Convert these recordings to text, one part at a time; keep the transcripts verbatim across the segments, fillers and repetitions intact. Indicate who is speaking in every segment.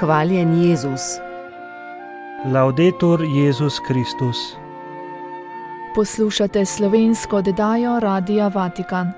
Speaker 1: Hvaljen Jezus.
Speaker 2: Laudetur Jezus Kristus.
Speaker 3: Poslušate slovensko oddajo Radia Vatikan.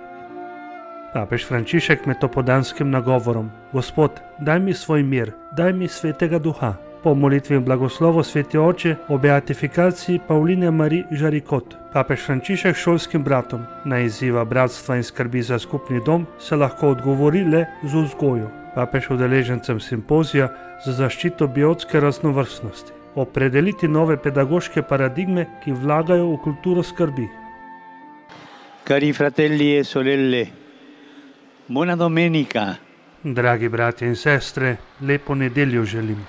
Speaker 2: Papež Frančišek med topodanskim nagovorom: Gospod, daj mi svoj mir, daj mi svetega duha. Po molitvi in blagoslovu sveti oče o beatifikaciji Pauline Marie Jaricot, papež Frančišek šolskim bratom na izziva bratstva in skrbi za skupni dom se lahko odgovori le z vzgojo. Papež udeležencem simpozija za zaščito biotske raznovrstnosti opredeliti nove pedagoške paradigme, ki vlagajo v kulturo skrbi.
Speaker 4: Cari fratelli e sorelle, buona domenica.
Speaker 2: Dragi bratje in sestre, lepo nedeljo želim.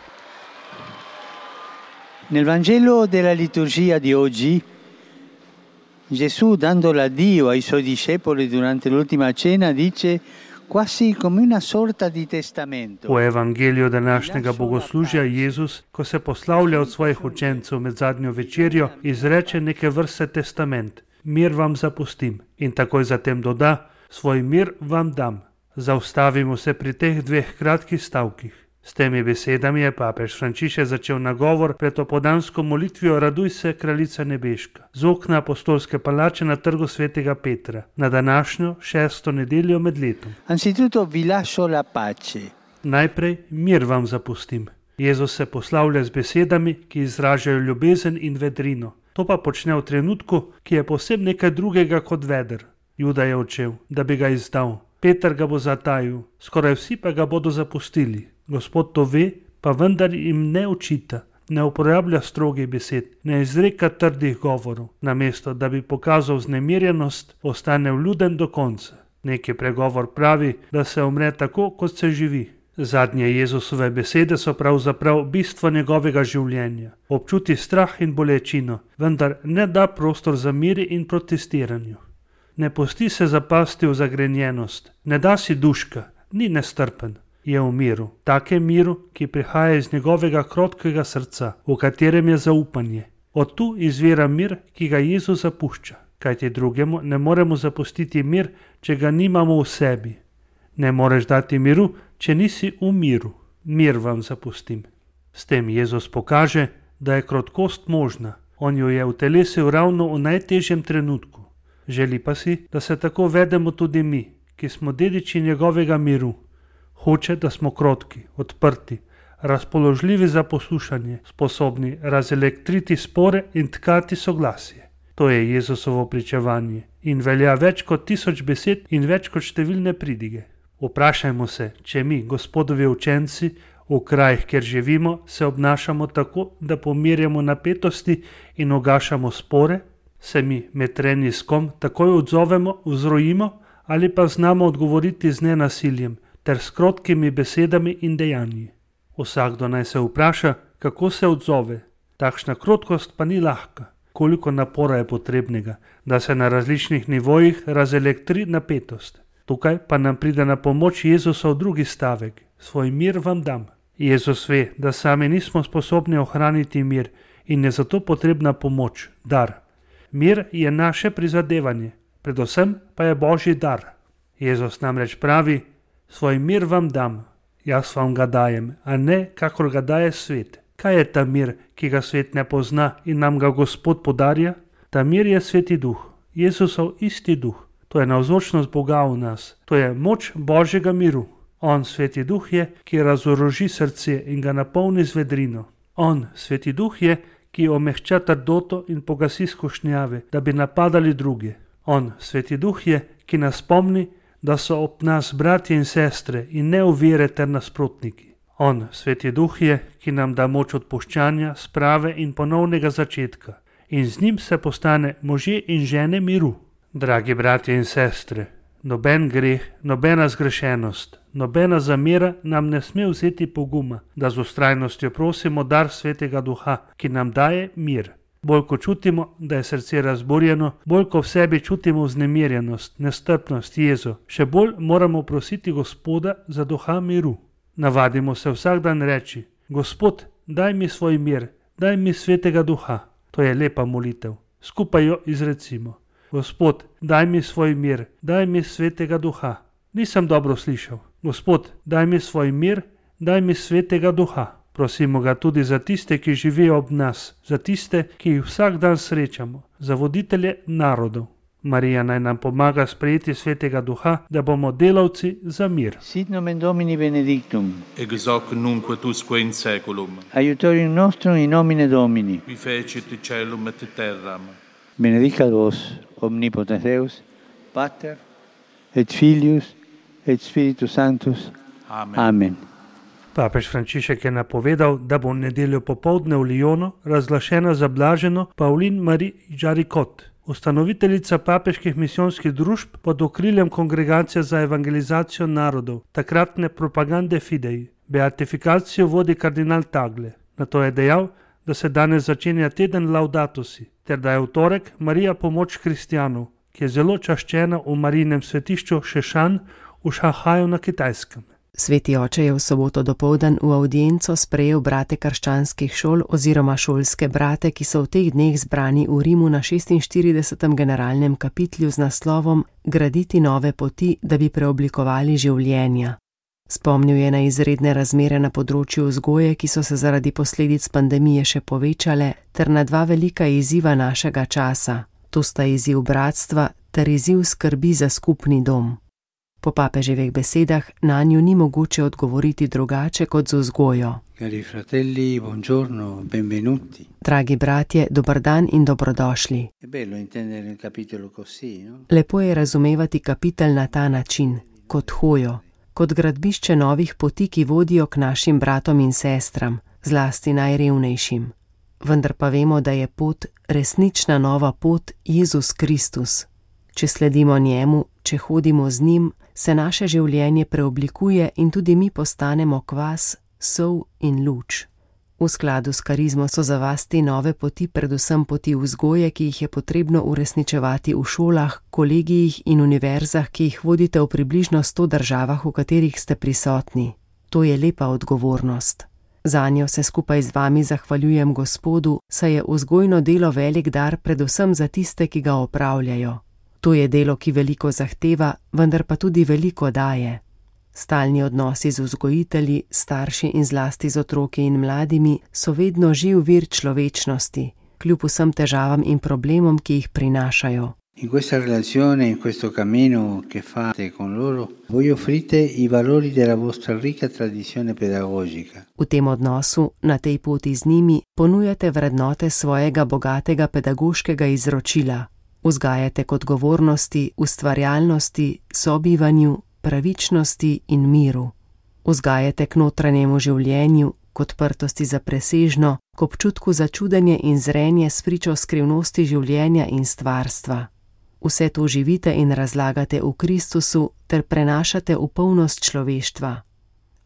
Speaker 4: Nel Vangelo della liturgia di oggi, Gesù, dando l'addio ai suoi discepoli durante l'ultima cena, dice quasi come una sorta di testamento.
Speaker 2: V evangeliju današnjega bogoslužja Jezus, ko se poslavlja od svojih učencev med zadnjo večerjo, izreče neke vrste testament: mir vam zapustim, in takoj zatem doda: svoj mir vam dam. Zaustavimo se pri teh dveh kratkih stavkih. S temi besedami je papež Frančišek začel nagovor pred opodansko molitvijo Raduj se, kraljica nebeška, z okna apostolske palače na trgu svetega Petra, na današnjo šesto nedeljo med letom.
Speaker 4: Anzitutto vi lascio la pace.
Speaker 2: Najprej mir vam zapustim. Jezus se poslavlja z besedami, ki izražajo ljubezen in vedrino. To pa počne v trenutku, ki je povsem nekaj drugega kot veder. Juda je odšel, da bi ga izdal. Peter ga bo zatajil, skoraj vsi pa ga bodo zapustili. Gospod to ve, pa vendar jim ne očita, ne uporablja strogih besed, ne izreka trdih govorov. Namesto, da bi pokazal vznemirjenost, ostane vljuden do konca. Neki pregovor pravi, da se umre tako, kot se živi. Zadnje Jezusove besede so pravzaprav bistvo njegovega življenja. Občuti strah in bolečino, vendar ne da prostor za mir in protestiranju. Ne pusti se zapasti v zagrenjenost, ne da si duška, ni nestrpen. Je v miru, takem miru, ki prihaja iz njegovega krotkega srca, v katerem je zaupanje. Od tu izvira mir, ki ga Jezus zapušča, kajti drugemu ne moremo zapustiti mir, če ga nimamo v sebi. Ne moreš dati miru, če nisi v miru. Mir vam zapustim. S tem Jezus pokaže, da je krotkost možna. On jo je utelesil ravno v najtežjem trenutku. Želi pa si, da se tako vedemo tudi mi, ki smo dediči njegovega miru. Hoče, da smo krotki, odprti, razpoložljivi za poslušanje, sposobni razelektriti spore in tkati soglasje. To je Jezusovo pričevanje in velja več kot tisoč besed in več kot številne pridige. Vprašajmo se, če mi, Gospodovi učenci, v krajih, kjer živimo, se obnašamo tako, da pomirjamo napetosti in ugašamo spore, se mi med treniskom takoj odzovemo, vzrojimo ali pa znamo odgovoriti z nenasiljem ter s krotkimi besedami in dejanji. Vsakdo naj se vpraša, kako se odzove. Takšna krotkost pa ni lahka. Koliko napora je potrebnega, da se na različnih nivojih razelektri napetost. Tukaj pa nam pride na pomoč Jezusov drugi stavek: svoj mir vam dam. Jezus ve, da sami nismo sposobni ohraniti mir in je zato potrebna pomoč, dar. Mir je naše prizadevanje, predvsem pa je Božji dar. Jezus namreč pravi: svoj mir vam dam, jaz vam ga dajem, a ne kakor ga daje svet. Kaj je ta mir, ki ga svet ne pozna in nam ga Gospod podarja? Ta mir je sveti duh, Jezusov isti duh. To je navzočnost Boga v nas, to je moč Božjega miru. On, sveti duh je, ki razoroži srce in ga napolni z vedrino. On, sveti duh je, ki omehča trdoto in pogasi skušnjave, da bi napadali druge. On, sveti duh je, ki nas spomni, da so ob nas bratje in sestre in ne ovire ter nasprotniki. On, sveti duh je, ki nam da moč odpuščanja, sprave in ponovnega začetka. In z njim se postane možje in žene miru. Dragi bratje in sestre, noben greh, nobena zgrešenost, nobena zamera nam ne sme vzeti poguma, da z vztrajnostjo prosimo dar svetega duha, ki nam daje mir. Bolj ko čutimo, da je srce razburjeno, bolj ko v sebi čutimo vznemirjenost, nestrpnost, jezo, še bolj moramo prositi Gospoda za duha miru. Navadimo se vsak dan reči: Gospod, daj mi svoj mir, daj mi svetega duha. To je lepa molitev. Skupaj jo izrecimo: Gospod, daj mi svoj mir, daj mi svetega duha. Nisem dobro slišal. Gospod, daj mi svoj mir, daj mi svetega duha. Prosimo ga tudi za tiste, ki živijo ob nas, za tiste, ki jih vsak dan srečamo, za voditelje narodov. Marija naj nam pomaga sprejeti svetega duha, da bomo delavci za mir.
Speaker 4: Sit nomen Domini benedictum.
Speaker 1: Ex hoc nunc et usque in saeculum.
Speaker 4: Aiutorium nostrum in nomine Domini.
Speaker 1: Qui fecit caelum et terram.
Speaker 4: Benedicat vos omnipotens Deus, Pater et Filius et Spiritus Sanctus.
Speaker 1: Amen.
Speaker 4: Amen.
Speaker 2: Papež Frančišek je napovedal, da bo v nedeljo popoldne v Lyonu razglašena za blaženo Pauline Marie Jaricot, ustanoviteljica papeških misijonskih družb pod okriljem Kongregacije za evangelizacijo narodov, takratne Propagande Fidei. Beatifikacijo vodi kardinal Tagle. Nato je dejal, da se danes začenja teden Laudatusi, ter da je v torek Marija pomoč kristjanov, ki je zelo čaščena v Marijinem svetišču Šešan v Šanghaju na Kitajskem.
Speaker 5: Sveti oče je v soboto dopoldan v avdienco sprejel brate krščanskih šol oziroma šolske brate, ki so v teh dneh zbrani v Rimu na šestinštiridesetem generalnem kapitlju z naslovom Graditi nove poti, da bi preoblikovali življenja. Spomnil je na izredne razmere na področju vzgoje, ki so se zaradi posledic pandemije še povečale, ter na dva velika izziva našega časa. To sta izziv bratstva ter izziv skrbi za skupni dom. Po papeževih besedah nanju ni mogoče odgovoriti drugače kot z vzgojo.
Speaker 4: Cari fratelli, buongiorno, benvenuti.
Speaker 5: Dragi bratje, dober dan in dobrodošli.
Speaker 4: È bello intendere il capitolo così, no?
Speaker 5: Lepo je razumevati kapitel na ta način, kot hojo, kot gradbišče novih poti, ki vodijo k našim bratom in sestram, zlasti najrevnejšim. Vendar pa vemo, da je pot, resnična nova pot, Jezus Kristus. Če sledimo njemu, če hodimo z njim, se naše življenje preoblikuje in tudi mi postanemo kvas, sol in luč. V skladu s karizmo so za vas te nove poti predvsem poti vzgoje, ki jih je potrebno uresničevati v šolah, kolegijih in univerzah, ki jih vodite v približno sto državah, v katerih ste prisotni. To je lepa odgovornost. Zanjo se skupaj z vami zahvaljujem Gospodu, saj je vzgojno delo velik dar predvsem za tiste, ki ga opravljajo. To je delo, ki veliko zahteva, vendar pa tudi veliko daje. Stalni odnosi z vzgojitelji, starši in zlasti z otroki in mladimi so vedno živ vir človečnosti, kljub vsem težavam in problemom, ki jih prinašajo.
Speaker 4: In questa relazione, in questo cammino che fate con loro, voi offrite i valori della vostra ricca tradizione pedagogica.
Speaker 5: V tem odnosu, na tej poti z njimi, ponujate vrednote svojega bogatega pedagoškega izročila. Vzgajate k odgovornosti, ustvarjalnosti, sobivanju, pravičnosti in miru. Vzgajate k notranjemu življenju, k odprtosti za presežno, k občutku za čudenje in zrenje s pričo skrivnosti življenja in stvarstva. Vse to živite in razlagate v Kristusu ter prenašate v polnost človeštva.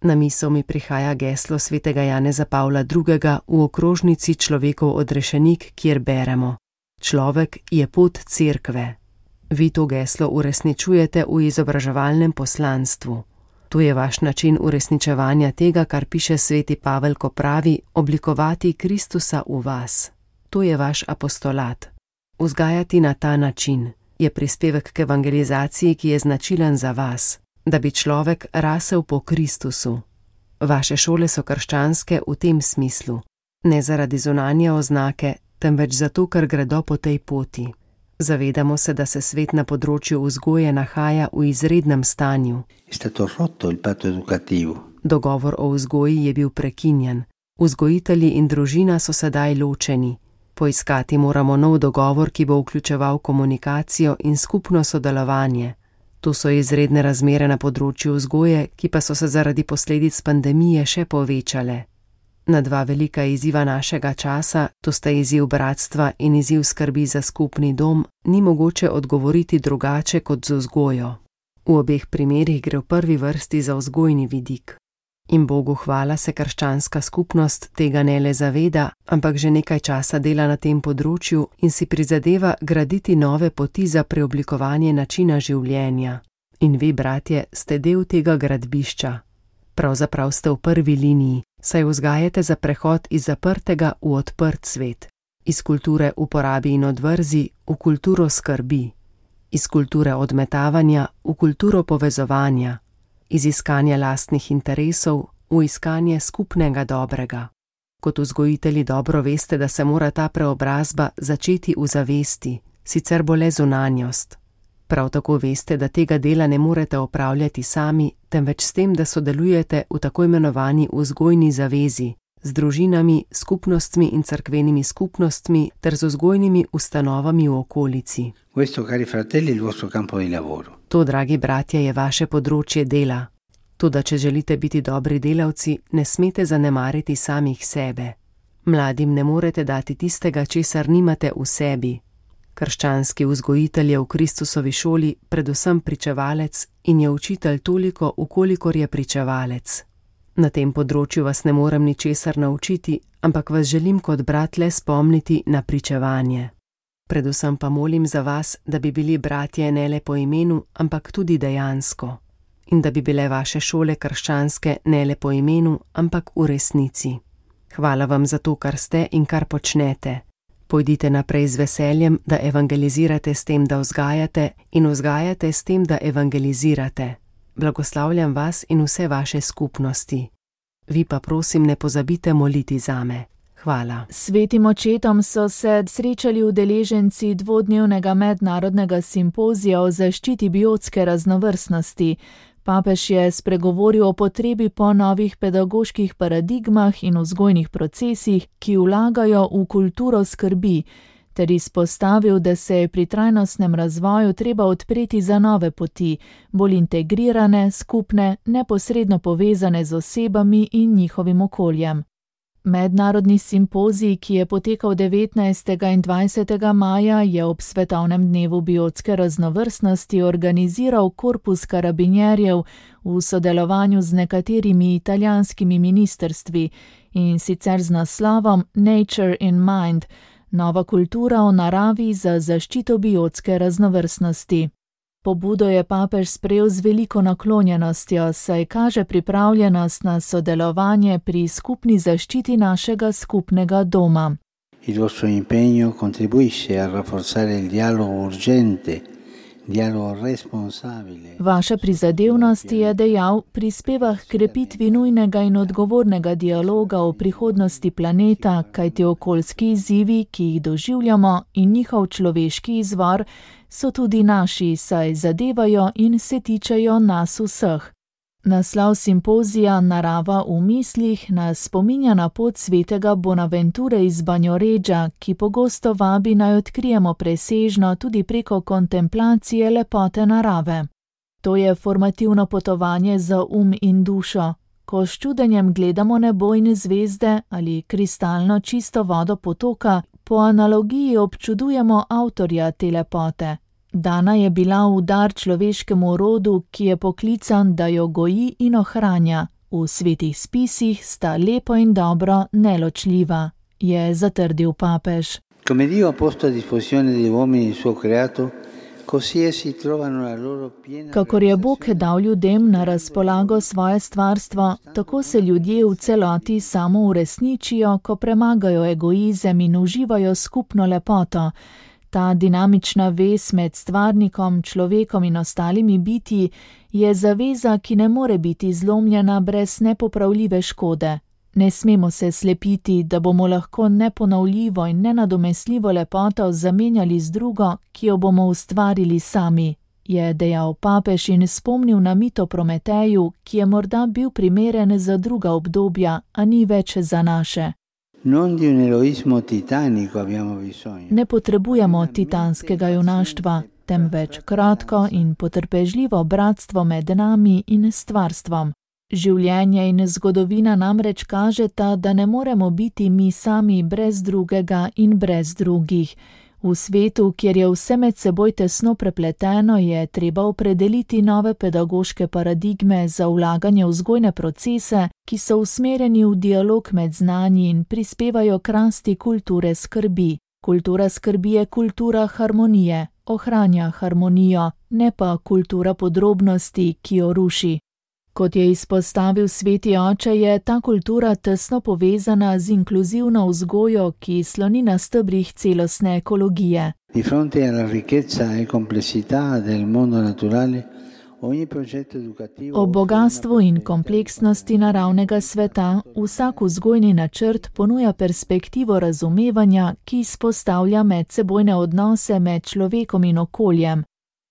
Speaker 5: Na misel mi prihaja geslo svetega Janeza Pavla drugega. v okrožnici Človekov odrešenik, kjer beremo: Človek je pot cerkve. Vi to geslo uresničujete v izobraževalnem poslanstvu. To je vaš način uresničevanja tega, kar piše sveti Pavel, ko pravi: oblikovati Kristusa v vas. To je vaš apostolat. Vzgajati na ta način je prispevek k evangelizaciji, ki je značilen za vas, da bi človek rasel po Kristusu. Vaše šole so krščanske v tem smislu, ne zaradi zunanje oznake, temveč zato, ker gredo po tej poti. Zavedamo se, da se svet na področju vzgoje nahaja v izrednem stanju. Dogovor o vzgoji je bil prekinjen. Vzgojitelji in družina so sedaj ločeni. Poiskati moramo nov dogovor, ki bo vključeval komunikacijo in skupno sodelovanje. To so izredne razmere na področju vzgoje, ki pa so se zaradi posledic pandemije še povečale. Na dva velika izziva našega časa, to sta izziv bratstva in izziv skrbi za skupni dom, ni mogoče odgovoriti drugače kot z vzgojo. V obeh primerih gre v prvi vrsti za vzgojni vidik. In Bogu hvala se krščanska skupnost tega ne le zaveda, ampak že nekaj časa dela na tem področju in si prizadeva graditi nove poti za preoblikovanje načina življenja. In vi, bratje, ste del tega gradbišča. Pravzaprav ste v prvi liniji, saj vzgajate za prehod iz zaprtega v odprt svet, iz kulture uporabi in odvrzi v kulturo skrbi, iz kulture odmetavanja v kulturo povezovanja, iz iskanja lastnih interesov v iskanje skupnega dobrega. Kot vzgojitelji dobro veste, da se mora ta preobrazba začeti v zavesti, sicer bo le zunanjost. Prav tako veste, da tega dela ne morete opravljati sami, temveč s tem, da sodelujete v tako imenovani vzgojni zavezi, z družinami, skupnostmi in cerkvenimi skupnostmi ter z vzgojnimi ustanovami v okolici.
Speaker 4: Questo, cari fratelli, è il vostro campo di lavoro.
Speaker 5: To, dragi bratje, je vaše področje dela. Toda, če želite biti dobri delavci, ne smete zanemariti samih sebe. Mladim ne morete dati tistega, česar nimate v sebi. Krščanski vzgojitelj je v Kristusovi šoli predvsem pričevalec in je učitelj toliko, ukolikor je pričevalec. Na tem področju vas ne morem ničesar naučiti, ampak vas želim kot brat le spomniti na pričevanje. Predvsem pa molim za vas, da bi bili bratje ne le po imenu, ampak tudi dejansko. In da bi bile vaše šole krščanske ne le po imenu, ampak v resnici. Hvala vam za to, kar ste in kar počnete. Pojdite naprej z veseljem, da evangelizirate s tem, da vzgajate, in vzgajate s tem, da evangelizirate. Blagoslavljam vas in vse vaše skupnosti. Vi pa prosim ne pozabite moliti zame. Hvala.
Speaker 3: Svetim očetom so se srečali udeleženci dvodnevnega mednarodnega simpozija o zaščiti biotske raznovrstnosti. Papež je spregovoril o potrebi po novih pedagoških paradigmah in vzgojnih procesih, ki vlagajo v kulturo skrbi, ter izpostavil, da se je pri trajnostnem razvoju treba odpreti za nove poti, bolj integrirane, skupne, neposredno povezane z osebami in njihovim okoljem. Mednarodni simpozij, ki je potekal devetnajstega in dvajsetega maja, je ob svetovnem dnevu biotske raznovrstnosti organiziral Korpus karabinjerjev v sodelovanju z nekaterimi italijanskimi ministrstvi, in sicer z naslovom Nature in Mind, nova kultura o naravi za zaščito biotske raznovrstnosti. Pobudo je papež sprejel z veliko naklonjenostjo, saj kaže pripravljenost na sodelovanje pri skupni zaščiti našega skupnega doma.
Speaker 4: Il vostro impegno contribuisce a rafforzare il dialogo urgente, dialogo responsabile.
Speaker 3: Vaša prizadevnost, je dejal, prispeva k krepitvi nujnega in odgovornega dialoga o prihodnosti planeta, kajti okoljski izzivi, ki jih doživljamo, in njihov človeški izvor so tudi naši, saj zadevajo in se tičejo nas vseh. Naslov simpozija Narava v mislih nas spominja na pot svetega Bonaventure iz Banjoredža, ki pogosto vabi naj odkrijemo presežno tudi preko kontemplacije lepote narave. To je formativno potovanje za um in dušo. Ko s čudenjem gledamo nebo in zvezde ali kristalno čisto vodo potoka, po analogiji občudujemo avtorja te lepote. Dana je bila v dar človeškemu rodu, ki je poklican, da jo goji in ohranja. V svetih spisih sta lepo in dobro neločljiva, je zatrdil papež.
Speaker 4: Come Dio ha posto a disposizione degli uomini il suo creato, così essi trovano la loro piena.
Speaker 3: Kakor je Bog dal ljudem na razpolago svoje stvarstvo, tako se ljudje v celoti samo uresničijo, ko premagajo egoizem in uživajo skupno lepoto. Ta dinamična vez med stvarnikom, človekom in ostalimi bitji je zaveza, ki ne more biti zlomljena brez nepopravljive škode. Ne smemo se slepiti, da bomo lahko neponovljivo in nenadomestljivo lepoto zamenjali z drugo, ki jo bomo ustvarili sami, je dejal papež in spomnil na mit o Prometeju, ki je morda bil primeren za druga obdobja, a ni več za naše.
Speaker 4: Non di un eroismo titanico abbiamo bisogno.
Speaker 3: Ne potrebujemo titanskega junaštva, temveč kratko in potrpežljivo bratstvo med nami in stvarstvom. Življenje in zgodovina namreč kažeta, da ne moremo biti mi sami brez drugega in brez drugih. V svetu, kjer je vse med seboj tesno prepleteno, je treba opredeliti nove pedagoške paradigme za vlaganje v vzgojne procese, ki so usmerjeni v dialog med znanji in prispevajo k rasti kulture skrbi. Kultura skrbi je kultura harmonije, ohranja harmonijo, ne pa kultura podrobnosti, ki jo ruši. Kot je izpostavil sveti oče, je ta kultura tesno povezana z inkluzivno vzgojo, ki sloni na stebrih celostne ekologije.
Speaker 4: Di fronte alla ricchezza e complessità del mondo naturale,
Speaker 3: O bogastvu in kompleksnosti naravnega sveta vsak vzgojni načrt ponuja perspektivo razumevanja, ki izpostavlja medsebojne odnose med človekom in okoljem.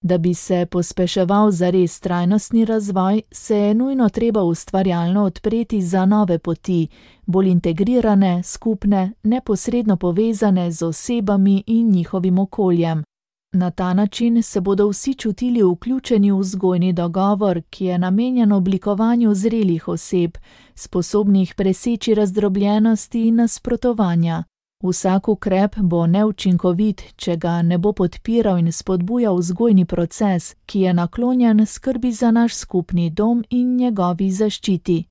Speaker 3: Da bi se pospeševal zares trajnostni razvoj, se je nujno treba ustvarjalno odpreti za nove poti, bolj integrirane, skupne, neposredno povezane z osebami in njihovim okoljem. Na ta način se bodo vsi čutili vključeni v vzgojni dogovor, ki je namenjen oblikovanju zrelih oseb, sposobnih preseči razdrobljenosti in nasprotovanja. Vsak ukrep bo neučinkovit, če ga ne bo podpiral in spodbujal vzgojni proces, ki je naklonjen skrbi za naš skupni dom in njegovi zaščiti.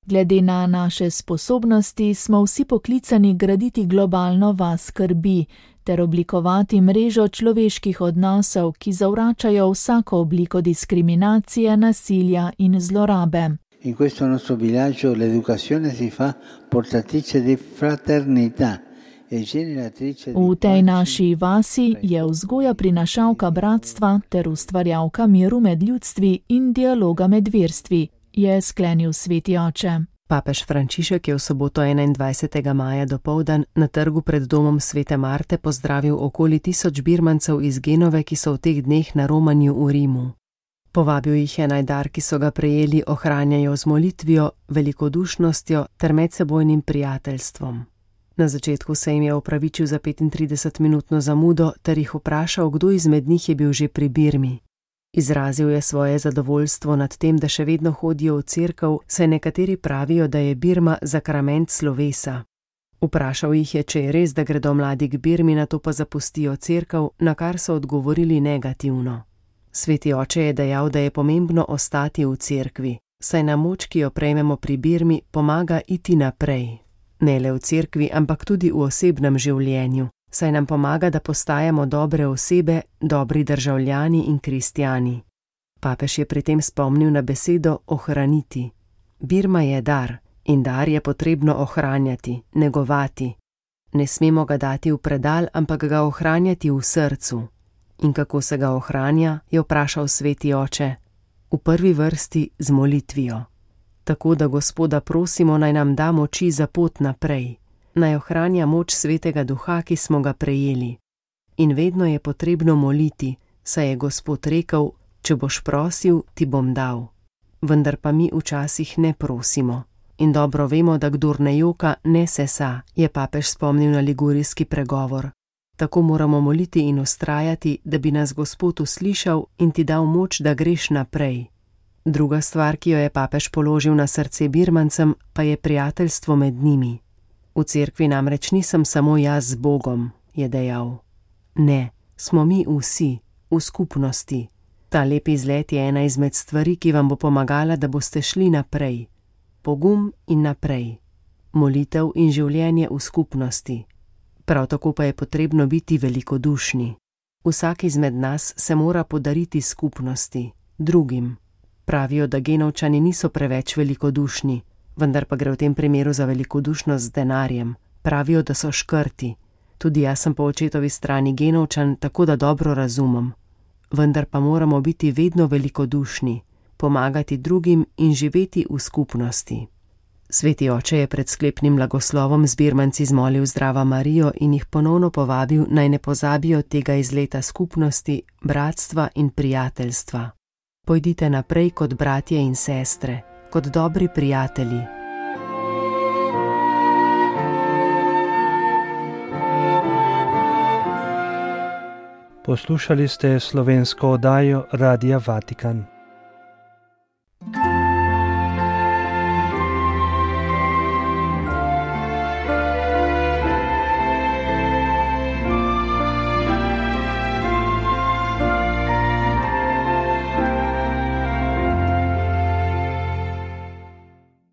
Speaker 3: Glede na naše sposobnosti smo vsi poklicani graditi globalno vas skrbi ter oblikovati mrežo človeških odnosov, ki zavračajo vsako obliko diskriminacije, nasilja in zlorabe.
Speaker 4: In questo nostro villaggio l'educazione si fa portatrice di fraternità.
Speaker 3: V tej naši vasi je vzgoja prinašalka bratstva ter ustvarjalka miru med ljudstvi in dialoga med verstvi, je sklenil sveti oče.
Speaker 5: Papež Frančišek je v soboto enaindvajsetega maja dopoldan na trgu pred domom svete Marte pozdravil okoli tisoč Birmancev iz Genove, ki so v teh dneh na romanju v Rimu. Povabil jih je naj dar, ki so ga prejeli, ohranjajo z molitvijo, velikodušnostjo ter medsebojnim prijateljstvom. Na začetku se jim je opravičil za petintridesetminutno zamudo ter jih vprašal, kdo izmed njih je bil že pri Birmi. Izrazil je svoje zadovoljstvo nad tem, da še vedno hodijo v cerkev, saj nekateri pravijo, da je Birma zakrament slovesa. Vprašal jih je, če je res, da gredo mladi k Birmi, nato pa zapustijo cerkev, na kar so odgovorili negativno. Sveti oče je dejal, da je pomembno ostati v cerkvi, saj nam moč, ki jo prejmemo pri Birmi, pomaga iti naprej. Ne le v cerkvi, ampak tudi v osebnem življenju, saj nam pomaga, da postajamo dobre osebe, dobri državljani in kristjani. Papež je pri tem spomnil na besedo ohraniti. Birma je dar in dar je potrebno ohranjati, negovati. Ne smemo ga dati v predal, ampak ga ohranjati v srcu. In kako se ga ohranja, je vprašal sveti oče. V prvi vrsti z molitvijo. Tako da Gospoda prosimo, naj nam da moči za pot naprej, naj ohranja moč svetega duha, ki smo ga prejeli. In vedno je potrebno moliti, saj je Gospod rekel, če boš prosil, ti bom dal. Vendar pa mi včasih ne prosimo. In dobro vemo, da kdor ne joka, ne sesa, je papež spomnil na ligurijski pregovor. Tako moramo moliti in vztrajati, da bi nas Gospod uslišal in ti dal moč, da greš naprej. Druga stvar, ki jo je papež položil na srce Birmancem, pa je prijateljstvo med njimi. V cerkvi namreč nisem samo jaz z Bogom, je dejal. Ne, smo mi vsi, v skupnosti. Ta lep izlet je ena izmed stvari, ki vam bo pomagala, da boste šli naprej. Pogum in naprej. Molitev in življenje v skupnosti. Prav tako pa je potrebno biti velikodušni. Vsak izmed nas se mora podariti skupnosti, drugim. Pravijo, da Genovčani niso preveč velikodušni, vendar pa gre v tem primeru za velikodušnost z denarjem. Pravijo, da so škrti. Tudi jaz sem po očetovi strani Genovčan, tako da dobro razumem. Vendar pa moramo biti vedno velikodušni, pomagati drugim in živeti v skupnosti. Sveti oče je pred sklepnim blagoslovom z Birmanci zmolil Zdrava Marijo in jih ponovno povabil, naj ne pozabijo tega izleta skupnosti, bratstva in prijateljstva. Pojdite naprej kot bratje in sestre, kot dobri prijatelji.
Speaker 2: Poslušali ste slovensko oddajo Radia Vatikan.